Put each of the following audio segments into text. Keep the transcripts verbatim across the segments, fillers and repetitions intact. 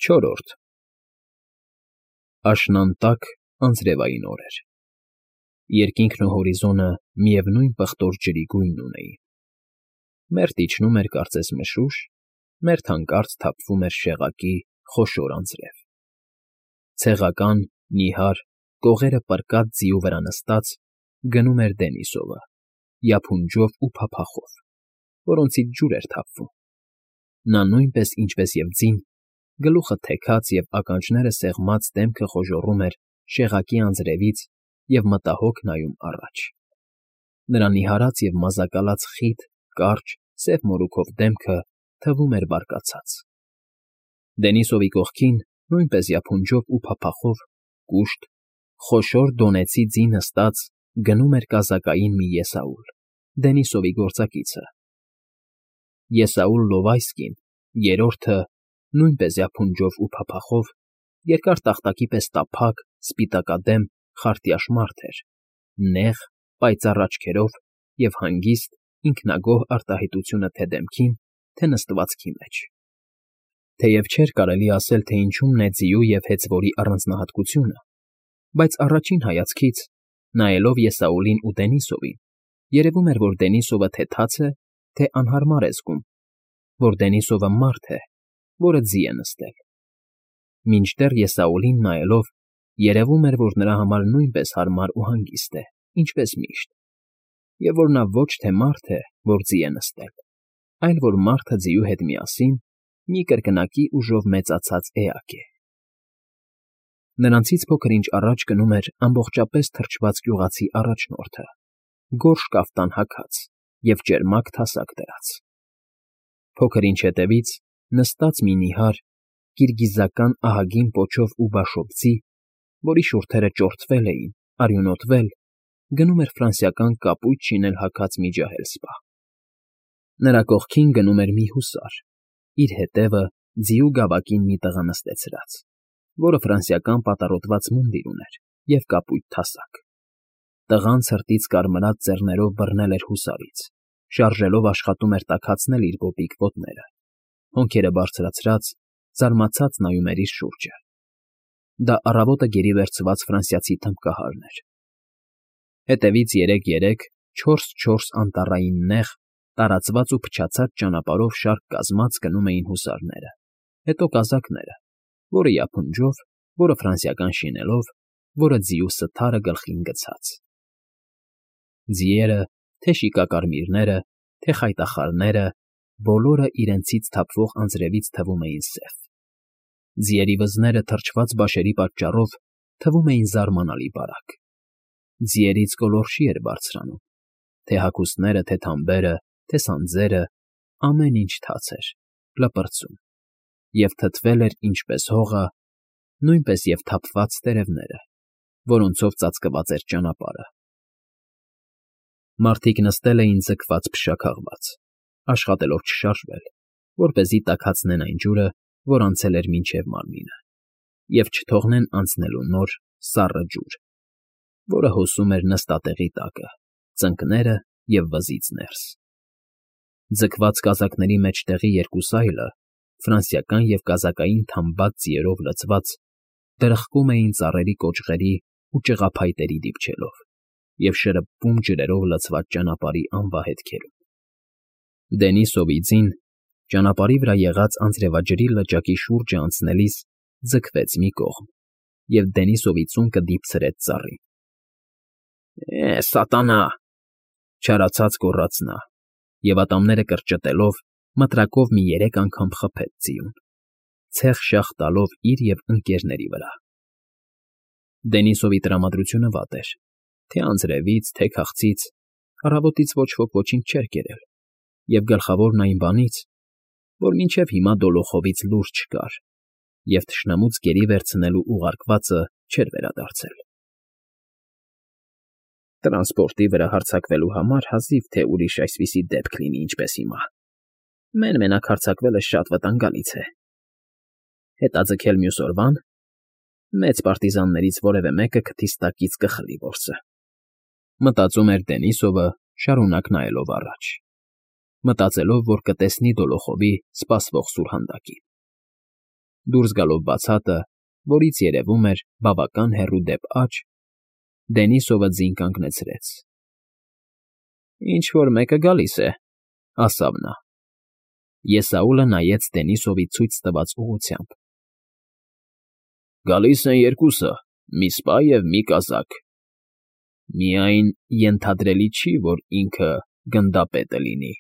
Չորրորդ Աշնանտակ անձրևային օր էր։ Երկինքն ու հորիզոնը միևնույն պղտոր ջրի գույնն ունեին, մերթ իջնում էր կարծես մշուշ, մերթ հանկարծ թափվում էր շեղակի խոշոր անձրև։ Ցեղական, նիհար, կողերը պռկած ձիու վրա նստած՝ գնում էր Դենիսովը, յափունջով ու փափախով, որոնցից ջուր էր թափվում։ Նա նույնպես, ինչպես և ձին, գլուխը թեքած և ականջները սեղմած դեմքը խոժոռում էր շեղակի անձրևից և մտահոգ նայում առաջ։ Նրա նիհարած և մազակալած խիտ, կարճ, սև մորուքով դեմքը թվում էր բարկացած։ Դենիսովի կողքին, նույնպես յափունջով ու փափախով, կուշտ, խոշոր դոնեցի ձի նստած գնում էր կազակային մի եսաուլ, Դենիսովի գործակիցը։ Եսաուլ Լովայսկին, երրորդը, նույնպես յափունջով ու փափախով, երկար տախտակի պես տափակ, սպիտակադեմ, խարտյաշ մարդ էր, նեղ, պայծառ աչքերով և հանգիստ, ինքնագոհ արտահայտությունը թե դեմքին, թե նստվածքի մեջ։ Թեև չէր կարելի ասել, թե ինչումն է ձիու և հեծվորի առանձնահատկությունը, բայց առաջին հայացքից, նայելով Եսաուլին ու Դենիսովին, երևում էր, որ Դենիսովը թե թաց է, թե անհարմար է զգում, որ Դենիսովը մարդ է, որը ձի է նստել։ Մինչդեռ Եսաուլին նայելով, երևում էր, որ նրա համար նույնպես հարմար ու հանգիստ է, ինչպես միշտ, և որ նա ոչ թե մարդ է, որ ձի է նստել, այլ որ մարդը ձիու հետ միասին մի կրկնակի ուժով մեծացած էակ է։ Նրանցից փոքր-ինչ առաջ գնում էր ամբողջապես թրջված գյուղացի առաջնորդը, գորշ կաֆտան հագած և ճերմակ թասակ դրած։ Փոքր-ինչ հետևից, նստած մի նիհար, կիրգիզական ահագին պոչով ու բաշով ձի, որի շուրթերը ճորթվել էին, արյունոտվել, գնում էր ֆրանսիական կապույտ շինել հագած մի ջահել սպա։ Նրա կողքին գնում էր մի հուսար, իր հետևը ձիու գավակին մի տղա նստեցրած, որը ֆրանսիական պատառոտված մունդիր ուներ և կապույտ թասակ։ Տղան ցրտից կարմրած ծեռներով բռնել էր հուսարից, շարժելով աշխատում էր տաքացնել իր կոպիտ ոտները, հոնքերը բարձրացրած, զարմացած նայում էր իր շուրջը։ Դա առավոտը գերի վերցված ֆրանսիացի թմբկահարն էր։ Հետևից երեք֊երեք, չորս֊չորս անտառային նեղ, տարածված ու փչացած ճանապարհով շարք կազմած գնում էին հուսարները, հետո կազակները, որը յափունջով, որը ֆրանսիական շինելով, որը ձիու սթարը գլխին գցած։ Ձիերը, թե շիկակարմիրները, թե խայտախարները, բոլորը իրենցից թափվող անձրևից թվում էին սև։ Ձիերի վզները թրջված բաշերի պատճառով թվում էին զարմանալի բարակ։ Ձիերից գոլորշի էր բարձրանում, թե հագուստները, թե թամբերը, թե սանձերը, ամեն ինչ թաց էր, լպրծուն, և թթվել էր ինչպես հողը, նույնպես և թափված տերևները, որոնցով ծածկված էր ճանապարհը։ Մարդիկ նստել էին ձգված֊փշաքաղված, աշխատելով չշարժվել, որպեսզի տաքացնեն այն ջուրը, որ անցել էր մինչև մարմինը, և չթողնեն անցնելու նոր, սառը ջուր, որը հոսում էր նստատեղի տակը, ծնկները և վզից ներս։ Ձգված կազակների մեջտեղի երկու սայլը, ֆրանսիական և կազակային թամբած ձիերով լցված, դրխկում էին ծառերի կոճղերի ու ճղափայտերի դիպչելով և շրփվում ջրերով լցված ճանապարհի անվահետքերում։ Դենիսովի ձին, ճանապարհի վրա եղած անձրևաջրի լճակի շուրջը անցնելիս ձգվեց մի կողմ, և Դենիսովի ծունկը դիպցրեց ծառին։ «Է, սատանա՜», չարացած գոռաց նա, և ատամները կրճտելով, մտրակով մի երեք անգամ խփեց ձիուն, ցեխ֊շախ տալով իր և ընկներների վրա։ Դենիսովի տրամադրությունը վատ էր, թե՛ անձրևից, թե՛ քաղցից, առավոտից ոչ ոք ոչինչ չէր կերել, և գլխավորն այն բանից, որ մինչև հիմա դոլոխովից լուր չկար, և թշնամուց գերի վերցնելու ուղարկվածը չէր վերադարձել։ «Տրանսպորտի վրա հարձակվելու համար հազիվ թե ուրիշ այսպիսի դեպք լինի, ինչպես հիմա, մեն֊մենակ հարձակվելը շատ վտանգալից է։ Հետաձգել մյուս օրվա՞ն, մեծ պարտիզաններից որևէ մեկը քթից տակից կխլի որսը», մտածում էր Դենիսովը, շարունակ նայելով առաջ, մտածելով, որ կտեսնի դոլոխովի սպասվող սուրհանդակին։ դուրս գալով բացատը, որից երևում էր բավական հեռու դեպ աջ, Դենիսովը ձին կանգնեցրեց։ ֊ Ինչ֊որ մեկը գալիս է,֊ ասավ նա։ Եսաուլը նայեց Դենիսովի ցույց տված ուղղությամբ։ ֊ Գալիս են երկուսը, մի սպա և մի կազակ… Միայն ենթադրելի չի, որ ինքը գնդապետը լինի,֊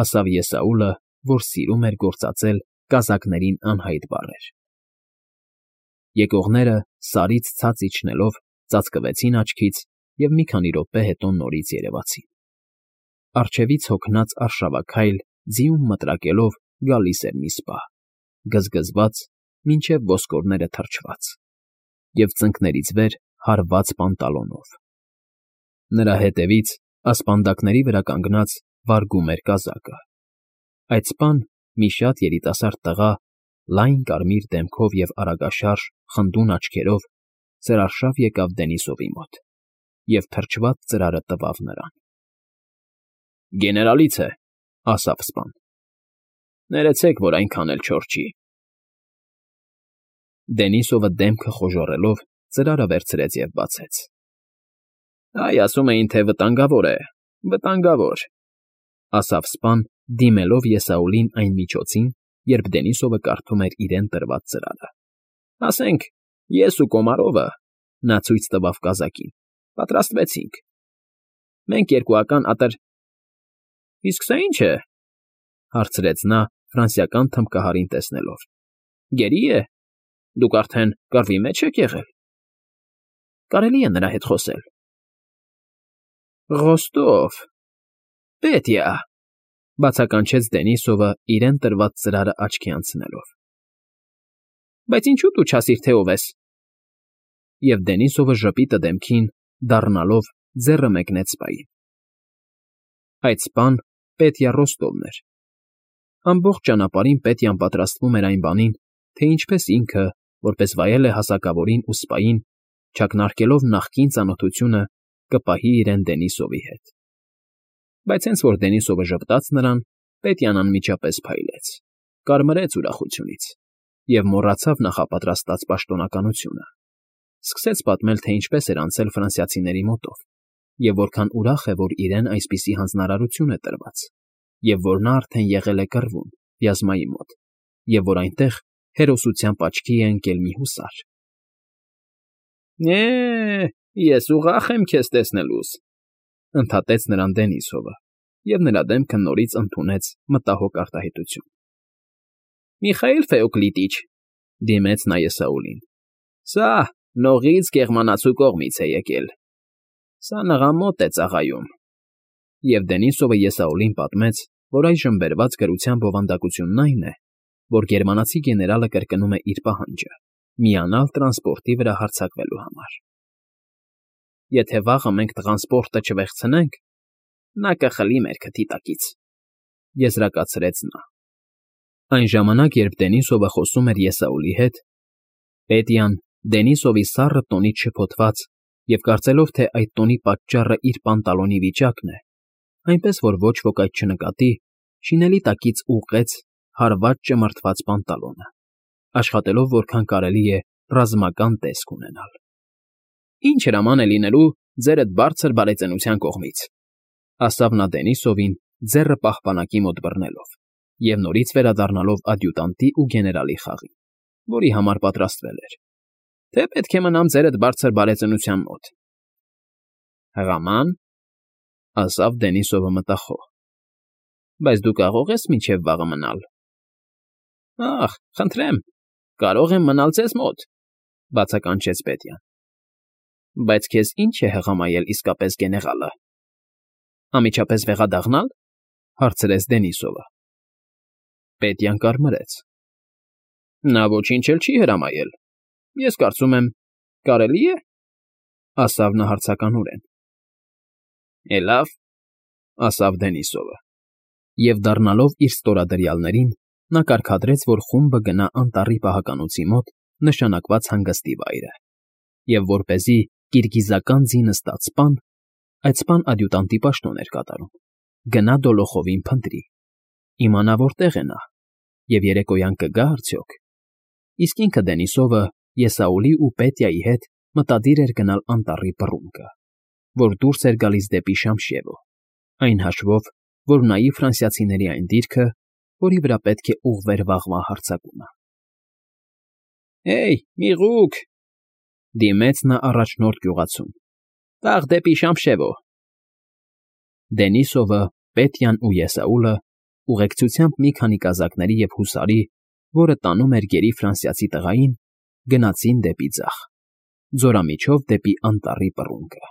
ասավ Եսաուլը, որ սիրում էր գործածել կազակներին անհայտ բառեր։ Եկողները, Սարից ցած իջնելով, ծածկվեցին աչքից և մի քանի րոպե հետո նորից երևացին։ Առջևից հոգնած արշավաքայլ, ձիուն մտրակելով գալիս էր մի սպա, գզգզված, մինչև ոսկորները թրջված, և ծնկներից վեր հարված պանտալոնով։ Նրա հետևից, ասպանդակների վրա կանգնած, վարգում էր կազակը։ Այդ սպան, մի շատ երիտասարդ տղա, լայն կարմիր դեմքով և արագաշարժ, խնդուն աչքերով, ծրարշավ եկավ Դենիսովի մոտ, և թրջված ծրարը տվավ նրան։ ֊ Գեներալից է,֊ ասավ սպան։ ֊ Ներեցեք, որ այնքան էլ չոր չի… Դենիսովը դեմքը խոժոռելով ծրարը վերցրեց և բացեց։ ֊ Այ, ասում էին, թե վտանգավոր է, վտանգավոր,֊ ասավ սպան, դիմելով Եսաուլին այն միջոցին, երբ Դենիսովը կարդում էր իրեն տրված ծրարը։ ֊ Ասենք, ես ու Կոմարովը,֊ նա ցույց տվավ կազակին,֊ պատրաստվեցինք։ Մենք երկուական ատր… ֊ Իսկ սա ի՞նչ է,֊ հարցրեց նա ֆրանսիական թմբկահարին տեսնելով։ ֊ Գերի՞ է։ Դուք արդեն կռվի մեջ եք եղե՞լ։ ֊ Կարելի է նրա հետ խոսել։ ֊ Ռոստով… Պետիա,֊ բացականչեց Դենիսովը, իրեն տրված ծրարը աչքի անցնելով։ ֊ Բայց ինչո՞ւ դու չասիր, թե ով ես։ Եվ Դենիսովը ժպիտը դեմքին, դառնալով, ձեռը մեկնեց սպային։ Այդ սպան Պետիա Ռոստովն էր։ Ամբողջ ճանապարհին Պետյան պատրաստվում էր այն բանին, թե ինչպես ինքը, որպես վայել է հասակավորին ու սպային, չակնարկելով նախկին ծանոթությունը, կպահի իրեն Դենիսովի հետ։ Բայց հենց որ Դենիսովը ժպտաց նրան, Պետյան անմիջապես փայլեց, կարմրեց ուրախությունից և մոռացավ նախապատրաստած պաշտոնականությունը։ Սկսեց պատմել, թե ինչպես էր անցել ֆրանսիացիների մոտով, և որքան ուրախ է, որ իրեն այսպիսի հանձնարարություն է տրված, և որ նա արդեն եղել է կռվում, Վյազմայի մոտ, և որ այնտեղ հերոսությամբ աչքի է ընկել մի հուսար։ ֊ Է՜, ես ուրախ եմ քեզ տեսնելուս,֊ ընդհատեց նրան Դենիսովը, և նրա դեմքը նորից ընդունեց մտահոգ արտահայտություն։ ֊ Միխայիլ Ֆեոկլիտիչ,֊ դիմեց նա Եսաուլին,֊ սա նողից գեղմանացու կողմից է եկել։ Սա նղա մոտ է ծառայում։ Եվ Դենիսովը Եսաուլին պատմեց, որ այժմ բերված գրության բովանդակությունն այն է, որ գերմանացի գեներալը կրկնում է իր պահանջը՝ միանալ տրանսպորտի վրա հարձակվելու համար։ Եթե վաղը մենք տղանսպորտը չվեղցնենք, նա կխլի մեր քթի տակից,֊ եզրակացրեց նա։ Այն ժամանակ, երբ Դենիսովը խոսում էր Եսաուլի հետ, Պետյան, Դենիսովի սառը տոնից շփոթված և կարծելով, թե այդ տոնի պատճառը իր պանտալոնի վիճակն է, այնպես որ ոչ ոք այդ չնկատի, շինելի տակից ուղղեց հարված ճմրթված պանտալոնը, աշխատելով որքան կարելի է ռազմական տեսք ունենալ։ ֊ Ինչ հրաման է լինելու ձերդ բարձր բարեծնության կողմից,֊ ասավ նա Դենիսովին, ձեռը պահպանակի մոտ բռնելով, և նորից վերադառնալով ադյուտանտի ու գեներալի խաղին, որի համար պատրաստվել էր,֊ թե պետք է մնամ ձերդ բարձր բարեծնության մոտ։ ֊ Հրաման,֊ ասավ Դենիսովը մտախոհ,֊ բայց դու կարո՞ղ ես մինչև վաղը մնալ։ ֊ Ախ, խնդրեմ, կարող եմ մնալ ձեզ մոտ,֊ բացականչեց Պետյան։ ֊ Բայց քեզ ի՞նչ է հղամայել իսկապես գեներալը։ ֊ Անմիջապես վեղադաղնա՞լ,֊ հարցրեց Դենիսովը։ Պետյան կարմրեց։ ֊ Նա ոչինչ էլ չի հրամայել։ Ես կարծում եմ, կարելի է,֊ ասավ նա հարցականորեն։ ֊ Է լավ,֊ ասավ Դենիսովը, և, դառնալով իր ստորադրյալներին, նա կարգադրեց, որ խումբը գնա անտառի պահականոցի մոտ նշանակված հանգստի վայրը, և որպեսզի կիրգիզական ձի նստած սպան (այդ սպան ադյուտանտի պաշտոն էր կատարում) գնա դոլոխովին փնտրի, իմանա որտեղ է նա և երեկոյան կգա՞ արդյոք։ իսկ ինքը Դենիսովը Եսաուլի ու Պետյայի հետ մտադիր էր գնալ անտառի բռունկը, որ դուրս էր գալիս դեպի Շամշիևո, այն հաշվով, որ ունայի ֆրանսիացիների այն դիրքը, որի վրա պետք է ուղղվեր վաղվա հարձակումը։ ֊ Հե՜յ, միղուկ,֊ դիմեց նա առաջնորդ գյուղացուն,֊ վաղ դեպի Շամշևո… Դենիսովը, Պետյան ու Եսաուլը, ուղեկցությամբ մի քանի կազակների և հուսարի, որը տանում էր գերի ֆրանսիացի տղային, գնացին դեպի ձախ, ձորամիջով դեպի անտառի բռունկը։